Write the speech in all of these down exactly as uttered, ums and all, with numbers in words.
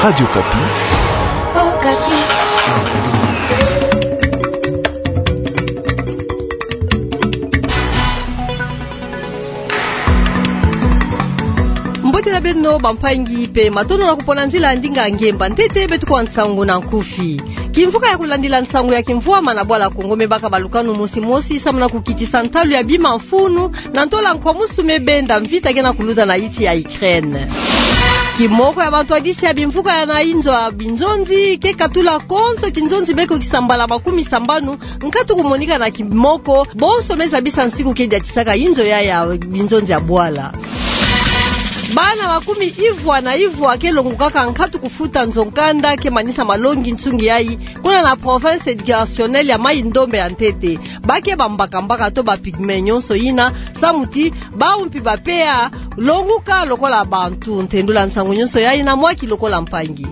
Radio Okapi. Okapi. Mbote na beno bampangi mpe matondo na kupona nzila ya ndinga ngemba ntete beto kwa nsangu na nkufi. Kimvuka ya kulandila nsangu ya kimvwama na bwala Kongo me baka balukanu mosi mosi samu na kukitisa ntalu ya bima mfunu na ntola nkwamusu me benda mvita ke na kuluta na insi ya Ukraine. Kimoko ya bantwadisi ya bimvuka ya na inzo ya binzonzi ke katula konso kinzonzi beko kisambala makumi sambanu nkatu kumonika na kimoko, bonso me zabisa nsiku ke diatisaka inzo ya ya binzonzi ya bwala. Bana makumi ivwa na ivwa ke longukaka nkatu kufuta nzo nkanda ke manisa malongi nsungi yayi, kuna na province éducationnelle ya Mai-Ndombe ya ntete. Ba ke bambakambaka to ba pygmée nyonso yina, samu ti bawu mpi bapea longuka lokola bantu. Ntendula nsangu nyonso yayi na mwaki lokola mpangi.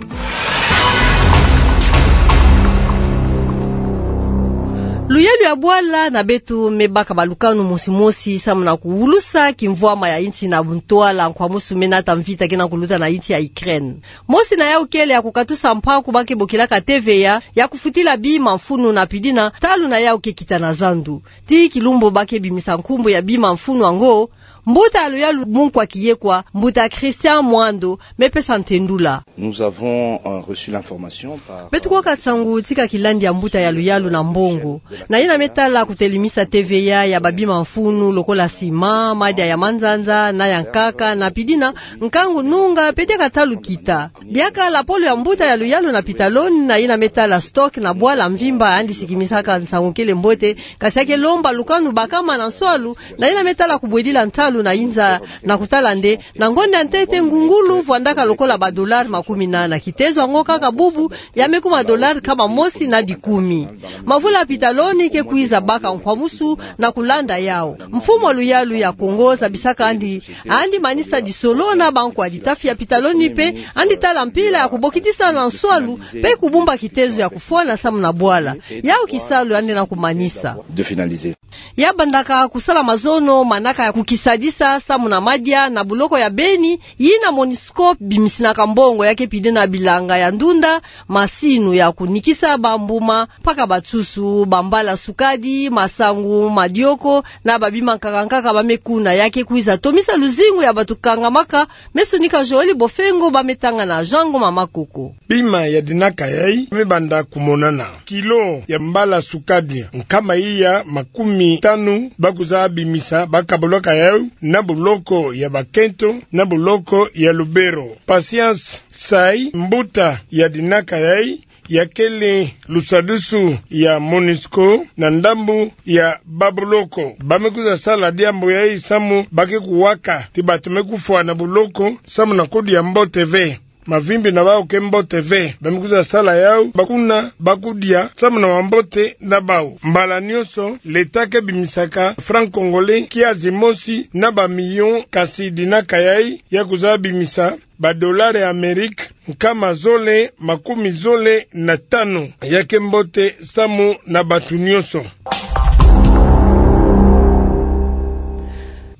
Luyalu ya bwala na beto me baka balukanu mosi mosi samu na kuwulusa kimvwama ya insi na ntwala nkwamusu me nata mvita ke na kuluta na insi ya Ukraine. Mosi na yawu kele ya kukatusa mpaku ba ke bokilaka T V A, ya kufutila bima mfunu na pili na ntalu na yawu ke kita na zandu. Ti kilumbu ba ke bimisa nkumbu ya bima mfunu yango, mbuta ya luyalu Munkwa Kiyekwa, mbuta Christian Mwando, me pesa ntendula. Nous avons, euh, reçu l'information par, euh, beto kwaka nsangu ti ka kilandi ya mbuta ya luyalu na mbongo. Na yina me tala kutelimisa T V A ya babima mfunu lokola sima, madia ya manzanza, na ya nkaka, na pili na nkangu nunga, mpe diaka ntalu kita. Diaka lapolo ya mbuta ya luyalu na Pitaloni, na yina me tala stock na bwala mvimba, yandi sikimisaka nsangu kele mbote, kasi ya ke lomba lukanu bakama na nswalu, na yina me tala kubwedila ntalu na inza, na kutala nde, na ngonda ya ntete ngungulu vwandaka lokola ba dollars makumi nana. Kitezo yango kaka bubu, ya me kuma dollars nkama mosi na dikumi. Mavula ya Pitaloni ke kwiza baka nkwamusu na kulanda yawu. Mfumu wa luyalu ya Kongo zabisaka yandi, yandi manisa disolo na bankwa ditafi ya Pitaloni mpe, yandi tala mpila ya kubokidisa na nswalu, mpe kubumba kitezo ya kufwana samu na bwala. Yawu kisalu yandi na kumanisa. De finaliser. Ya bandaka kusala mazono manaka ya kukisadisa samu na madia na buloko ya Beni, yina MONUSCO bimisinaka mbongo ya ke pili na bilanga ya ndunda, masinu ya kunikisa bambuma, mpaka bansusu, bambala sukadi, masangu, madioko, na babima nkaka nkaka ba me kuna. Ya ke kwiza tomisa luzingu ya bato kangamaka, me sonika Joël Bofengo ba me tanga na Jean Ngoma Makoko. Bima ya dinaka yayi me banda kumonana. Kilo ya mbala sukadi nkama iya makumi tanu ba kwiza bimisa, ba kabolaka yawu na buloko ya Bakento, na buloko ya Lubero. Patience Sai, mbuta ya dinaka yayi, ya kele lusadusu ya MONUSCO na ndambu ya babuloko. Ba me kwiza sala diambu yayi samu ba ke kuwaka ti bato me kufwa na buloko samu na kudia mbote ve. Mavimbi na bawu ke mbote ve. Ba me kwiza sala yawu, bakuna ba kudia samu na mambote na bawu. Mbala nyonso, l'État ke bimisaka franc congolais kiazi mosi na ba millions, kasi dinaka yayi ya kwiza bimisa ba dollars ya Amérique nkama zole makumi zole na tanu. Ya ke mbote samu na bato nyonso.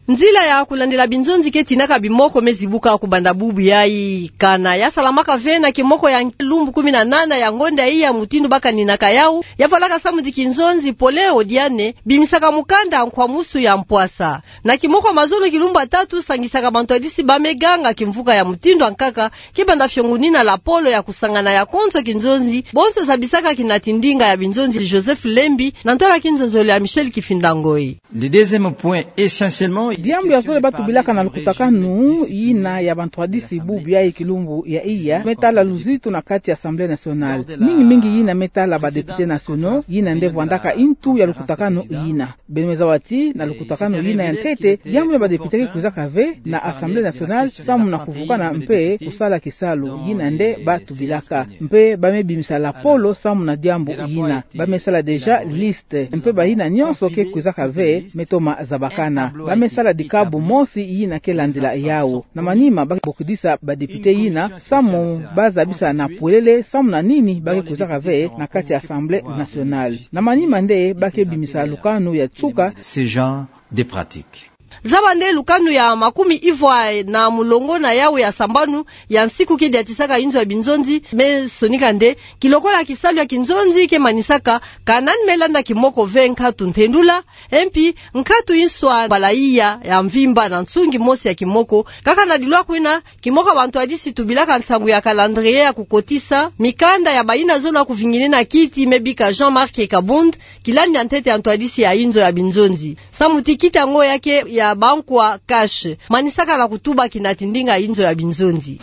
Nzila ya kulandila binzonzi ke tinaka bimoko me zibuka kubanda bubu yayi. Kana ya salamaka ve na kimoko ya lumbu kumi na nana ya ngonda iya, mutindu ba kaninaka yawu, ya valaka samu ti kinzonzi pole odiane, bimisaka mukanda nkwamusu ya mpwasa. Na kimoko ya mazono kilumbu ya tatu, sangisaka bantwadisi ba me ganga kimvuka ya mutindu ya nkaka, kibanda fiongo nina lapolo ya kusangana ya konso kinzonzi, bonso zabisaka kinati ndinga ya binzonzi Joseph Lembi, na ntola kinzonzolo ya Michel Kifinda Ngoi. Le deuxième point, essentiellement, il est question de parler de la question de la... Diambu ya zole ba tubilaka na lukutakanu yina ya bantwadisi bubu yayi kilumbu ya iya, me tala luzitu na kati ya Assemblée nationale. Mingi mingi yina me tala ba députés nationaux, yina nde vwandaka ntu ya lukutakanu yina. Beno me zaba ti, na lukutakanu yina ya ntete, diambu ya ba députés ke kwizaka ve na Assemblée nationale, samu na kuvukana mpe kusala kisalu, yina nde ba tubilaka. Mpe ba me bimisa lapolo samu na diambu yina. Ba me sala déjà liste. Mpe bayina nyonso ke kwizaka ve, me toma zabakana. Ba me sala dikabu mosi yina ke landila yawu. Na manima ba ke bokidisa ba députés yina, samu ba zabisa na pwelele samu na nini ba ke kwizaka ve na kati ya Assemblée nationale. Na manima nde ba ke bimisa lukanu ya nsuka. Ce genre de pratique. Zaba nde lukanu ya makumi ivwa na mulongo na yawu ya sambanu ya nsiku ke diatisaka inzo ya binzonzi me sonika nde, kilokola kisalu ya kinzonzi ke manisaka, ka nani me landa kimoko ve nkatu ntendula, e mpi nkatu inswa mbala iya ya mvimba na nsungi mosi ya kimoko, kaka na dilwa kwina, kimoko ya bantwadisi tubilaka nsangu ya calendrier ya kukotisa mikanda ya bayina zono ya kuvinginina kiti me bika Jean-Marc Kabund, kilandi ya ntete ya ntwadisi ya inzo ya binzonzi. Samu ti kiti yango ya ke ya bankwa cash. Manisaka na kutuba kinati ndinga inzo ya binzonzi.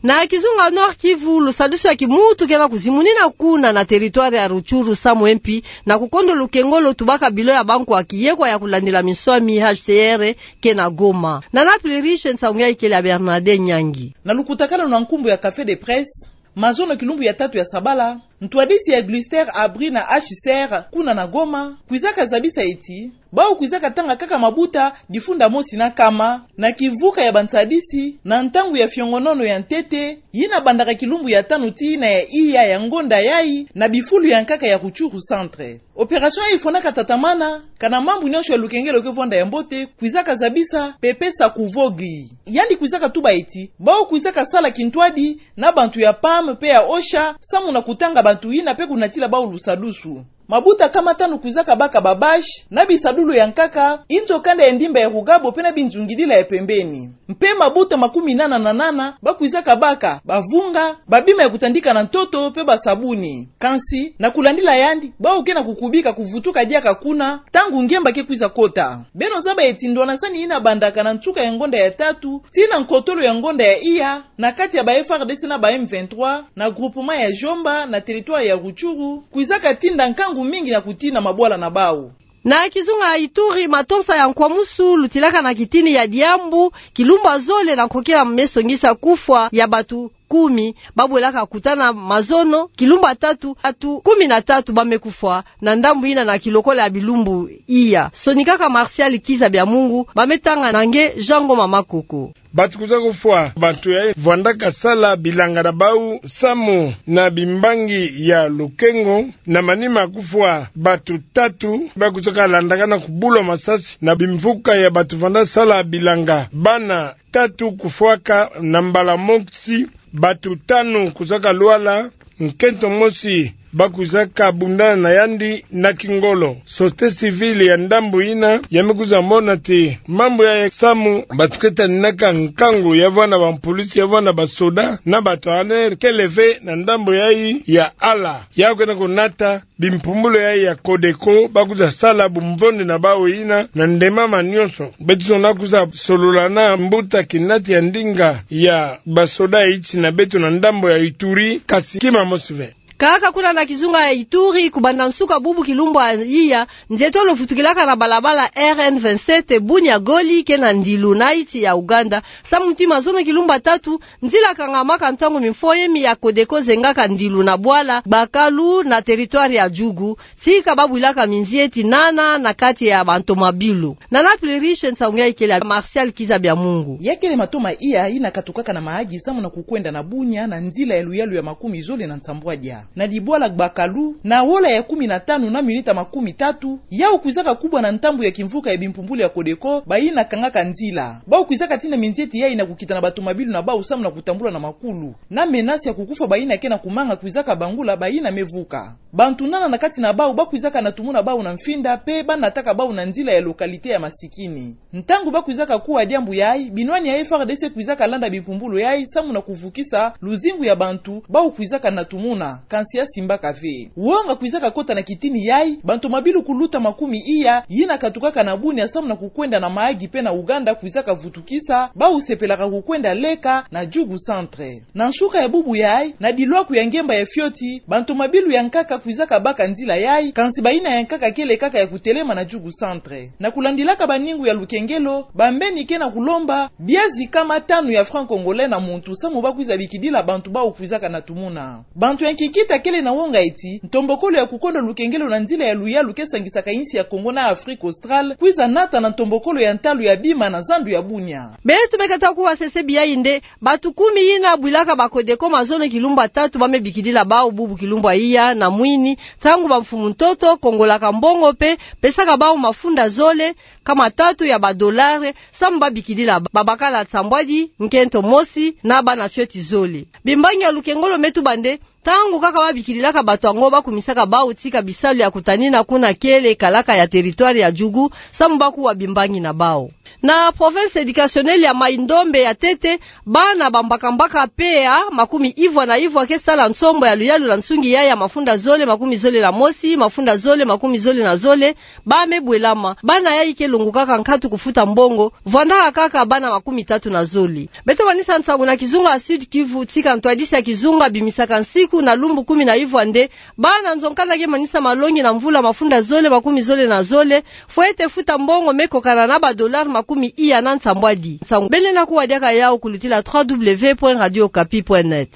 Na kizunga Nord-Kivu, lusadusu ya kimuntu ke na kuzimunina kuna na territoire ya Rutshuru samu e mpi na kukondo lukengo lo tubaka bilo ya bankwa kiyekwa ya kulandila minswami H C R ke na Goma. Nana Pluriche Nsangu ya ikele ya Bernadette Nyangi. Na lukutakanu na nkumbu ya Café de Presse, mazono kilumbu ya tatu ya sabala, ntwadisi ya Gluster Abri na H C R kuna na Goma, kwizaka zabisa eti, bawu kwizaka tanga kaka mabuta difunda mosi na kama, na kimvuka ya bantwadisi, na ntangu ya fiongonono ya ntete, yina bandaka kilumbu ya tanu tii na ya iya ya ngonda yayi, na bifulu ya nkaka ya Rutshuru Centre. Opération yayi fwanaka tatamana, kana mambu nyonso ya lukengelo ke vwanda ya mbote, kwizaka zabisa, pe pesa kuvogi. Yandi kwizaka tuba eti, bawu kwizaka sala kintwadi, na bantu ya pam, pe ya osha, samu na kutanga bantu yina pe kunatila bawu lusadusu. Mabuta kama tanu kwizaka baka ba bâche, na bisadulu ya nkaka, inzo kanda ya ndimba ya Rugabo pe na binzungidila ya pembeni. Mpe mabuta makumi nana na nana, ba kwizaka baka, bavunga, babima ya kutandika na ntoto, pe basabuni. Kansi, na kulandila yandi, bawu ke na kukubika kuvutuka diaka kuna, ntangu ngemba ke kwiza kota. Beno zaba eti ndwanasani yina bandaka na nsuka ya ngonda ya tatu, tii na nkotolo ya ngonda ya iya, na kati ya ba F R D C na ba M vingt-trois, na groupement ya Jomba, na territoire ya Rutshuru, kwizaka tinda nkangu mingi na kutina mabwala na bawu. Na kizunga Ituri, matonsa ya nkwamusu lutilaka na kitini ya diambu, kilumbu ya zole na nkokila me songisa kufwa ya bantu kumi, ba bwelaka kutana mazono, kilumbu ya tatu, bantu kumi na tatu ba me kufwa, na ndambu yina na kilokola ya bilumbu iya. Sonikaka Martial Kiza Biamungu, ba me tanga na nge Jean Ngoma Makoko. Bantu kwiza kufwa, bantu ya vwandaka sala bilanga na bawu samu na bimbangi ya lukengo, na manima kufwa bantu tatu, ba kwizaka landakana kubula masasi na bimvuka ya bantu vwanda sala bilanga. Bana tatu kufwaka na mbala mosi, bantu tanu kwizaka lwala, nkento mosi ba kwizaka bundana na yandi na kingolo. Société civile ya ndambu yina ya me kwiza mona ti mambu yayi samu bantu ke taninaka nkangu ya vwanda ba mpolisi, ya vwanda ba soda, na bantu A N R kele ve na ndambu yayi ya ala. Ya kwenda kunata bimpumbulu yayi ya Codeco, ba kwiza sala bumvondi na bawu yina na ndemama nyonso. Beto na kwiza solola na mbuta kinati ya ndinga ya ba soda iti na beto na ndambu ya Ituri, kasi kima mosi ve. Kaka kuna na kizunga ya Ituri, kubanda nsuka bubu kilumbu ya iya, nzietolo vutukilaka na balabala R N vingt-sept, Bunia Goli, ke na ndilu na iti ya Uganda, samu ti mazono kilumbu ya tatu, nzila kangamaka ntangu mimfoyemi ya Codeco zengaka ndilu na bwala Bakalu na territoire ya Djugu, tika ba bwilaka minzieti nana na kati ya bantomabilu. Nana Pluriche Nsangu ya ikele ya Martial Kiza Biamungu. Ya kele matoma iya yina katukaka na Mahagi samu na kukwenda na Bunia na nzila ya luyalu ya makumi zole na nsambwadia. Na dibwala Bakalu, na wola ya kumi na tanu na minita makumi tatu, yawu kwizaka kubwa na ndambu ya kimvuka ya bimpumbulu ya Codeco, bayina kangaka nzila. Bawu kwizaka tina minzieti yayi na kukita na batomabilu na bawu samu na kutambula na makulu. Na menace ya kukufwa bayina ke na kumanga kwizaka bangula bayina me vuka. Bantu nana na kati na bawu ba kwizaka natumuna bawu na mfinda, pe ba nataka bawu na nzila ya localité ya masikini. Ntangu ba kwizaka kuwa diambu yayi, binwani ya F R D C kwizaka landa bimpumbulu yayi samu na kuvukisa luzingu ya bantu bawu kwizaka natumuna, kansi ya simbaka ve. Wonga kwizaka kota na kitini yayi, bantomabilu kuluta makumi iya, yina katukaka na Bunia samu na kukwenda na Mahagi pe na Uganda kwizaka vutukisa, bawu sepelaka kukwenda leka na Djugu Centre. Na nsuka ya bubu yayi, na dilwaku ya ngemba ya fioti, bantomabilu ya nkaka kwizaka baka nzila yayi, kansi bayina ya nkaka kele kaka ya kutelema na Djugu Centre. Na kulandilaka baningu ya lukengelo, bambeni ke na kulomba biazi kama tanu ya franc congolais na muntu samu ba kwiza bikidila bantu bawu kwizaka natumuna. Bantu ya nkiki Takele na wonga eti, ntombokolo ya kukonda lukengelo na nzila ya luyalu ke sangisaka insi ya Kongo na Afrique Australe, kwiza nata na ntombokolo ya ntalu ya bima na zandu ya bunia. Beto mekata kuwa sese biai nde, bato kumi yina bwilaka ba Codeco mazono kilumbu ya tatu ba me bikidila bawu bubu kilumbu ya iya na mwini, ntangu bamfumu ntoto, kongolaka mbongo mpe, pesaka bawu mafunda zole, kama tatu ya ba dollars, samu ba bikidila babakala nsambwadi, nkento mosi, na bana fioti zole. Bimbangi ya lukengolo me tuba nde, ntangu kaka ba bikidilaka bato yango ba kumisaka bawu tika bisalu ya kutanina kuna kele kalaka ya territoire ya Djugu, samu ba kuwa bimbangi na bawu. Na province éducationnelle ya Mai-Ndombe ya ntete, bana bambakambaka P A makumi ivwa na ivwa ke sala nsombo ya luyalu na nsungi ya ya mafunda zole makumi zole na mosi, mafunda zole makumi zole na zole, ba me bwelama. Bana yayi ke longokaka nkatu kufuta mbongo, vwandaka kaka bana makumi tatu na zole. Beto manisa nsangu na kizunga ya Sud-Kivu, tika ntwadisi ya kizunga bimisaka nsiku na lumbu kumi na ivwa nde, bana nzo nkanda ke manisa malongi na mvula mafunda zole makumi zole na zole, fwete futa mbongo me kokana na ba dollars makumi iya na nsambwadi. Nsangu bele na kuwa diaka yawu kulutila trois W point radio okapi point net.